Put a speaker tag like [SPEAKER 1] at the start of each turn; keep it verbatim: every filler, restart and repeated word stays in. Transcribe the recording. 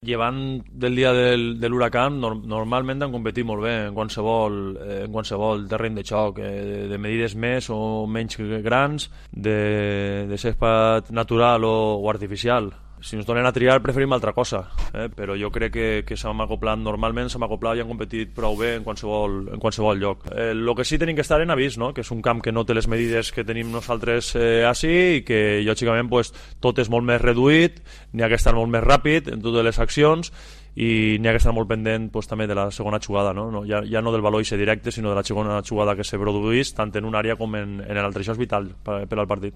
[SPEAKER 1] llevant del dia del, de l'huracan, no, normalment han competit molt bé en qualsevol, eh, en qualsevol terreny de xoc, eh, de, de medides més o menys grans, de, de césped natural o, o artificial. Si ens donen a triar preferim altra cosa, eh? Però jo crec que, que s'han acoplat, normalment s'han acoplat i han competit prou bé en qualsevol, en qualsevol lloc. Eh, el que sí tenim que estar en avís, no? Que és un camp que no té les medides que tenim nosaltres eh, així i que lògicament pues, tot és molt més reduït, n'hi ha que estar molt més ràpid en totes les accions i n'hi ha que estar molt pendent pues, també de la segona jugada, no? No, ja, ja no del valor directe sinó de la segona jugada que se produeix tant en una àrea com en, en l'altra. Això és vital per, per al partit.